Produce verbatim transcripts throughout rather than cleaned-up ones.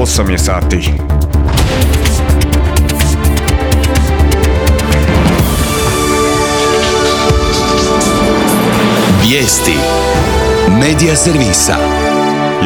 osam je sati. Vijesti Medija servisa.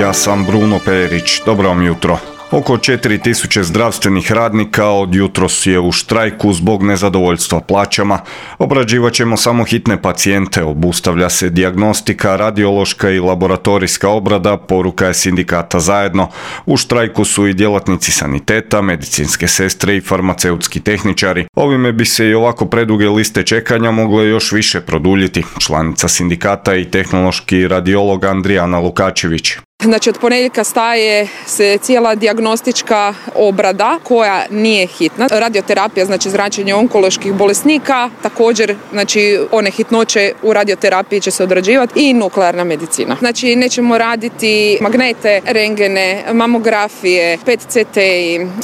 Ja sam Bruno Perić. Dobro vam jutro. Oko četiri tisuće zdravstvenih radnika od jutros je u štrajku zbog nezadovoljstva plaćama. Obrađivat ćemo samo hitne pacijente, obustavlja se dijagnostika, radiološka i laboratorijska obrada, poruka je sindikata Zajedno. U štrajku su i djelatnici saniteta, medicinske sestre i farmaceutski tehničari. Ovime bi se i ovako preduge liste čekanja mogle još više produljiti. Članica sindikata i tehnološki radiolog Andrijana Lukačević. Znači od ponedjeljka staje se cijela dijagnostička obrada koja nije hitna. Radioterapija, znači zračenje onkoloških bolesnika, također znači one hitnoće u radioterapiji će se odrađivati i nuklearna medicina. Znači nećemo raditi magnete, rengene, mamografije, P E T C T,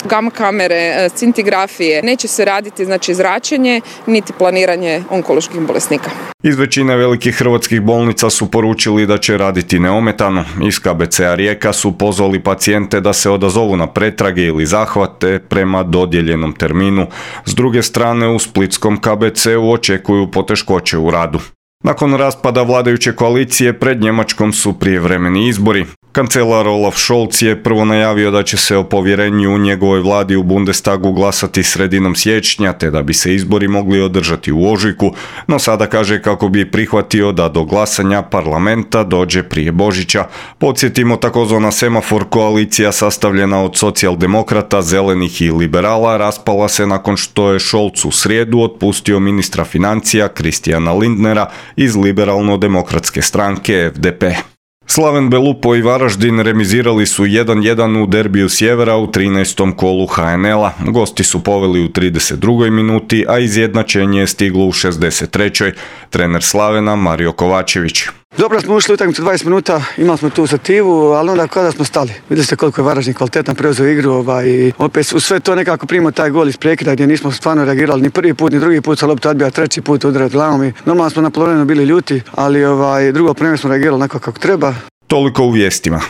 gamma kamere, scintigrafije. Neće se raditi znači zračenje niti planiranje onkoloških bolesnika. Iz većine velikih hrvatskih bolnica su poručili da će raditi neometano. Iz K B C-a Rijeka su pozvali pacijente da se odazovu na pretrage ili zahvate prema dodijeljenom terminu. S druge strane, u splitskom K B C-u očekuju poteškoće u radu. Nakon raspada vladajuće koalicije pred Njemačkom su prijevremeni izbori. Kancelar Olaf Scholz je prvo najavio da će se o povjerenju u njegovoj vladi u Bundestagu glasati sredinom siječnja, te da bi se izbori mogli održati u ožujku, no sada kaže kako bi prihvatio da do glasanja parlamenta dođe prije Božića. Podsjetimo, takozvana semafor koalicija sastavljena od socijaldemokrata, zelenih i liberala raspala se nakon što je Scholz u srijedu otpustio ministra financija Christiana Lindnera iz liberalno-demokratske stranke F D P. Slaven Belupo i Varaždin remizirali su jedan jedan u derbiju sjevera u trinaestom kolu H N L-a. Gosti su poveli u trideset drugoj minuti, a izjednačenje je stiglo u šezdeset trećoj Trener Slavena Mario Kovačević. Dobro smo ušli u utakmicu dvadeset minuta, imali smo tu sativu, ali onda kada smo stali. Vidjeli ste koliko je Varaždin kvalitetno preuzeo igru ovaj, i opet u sve to nekako primao taj gol iz prekida gdje nismo stvarno reagirali ni prvi put, ni drugi put sa loptu odbija, treći put udarati glavom i normalno smo na polovremenu bili ljuti, ali ovaj, drugo prema smo reagirali onako kako treba. Toliko u vijestima.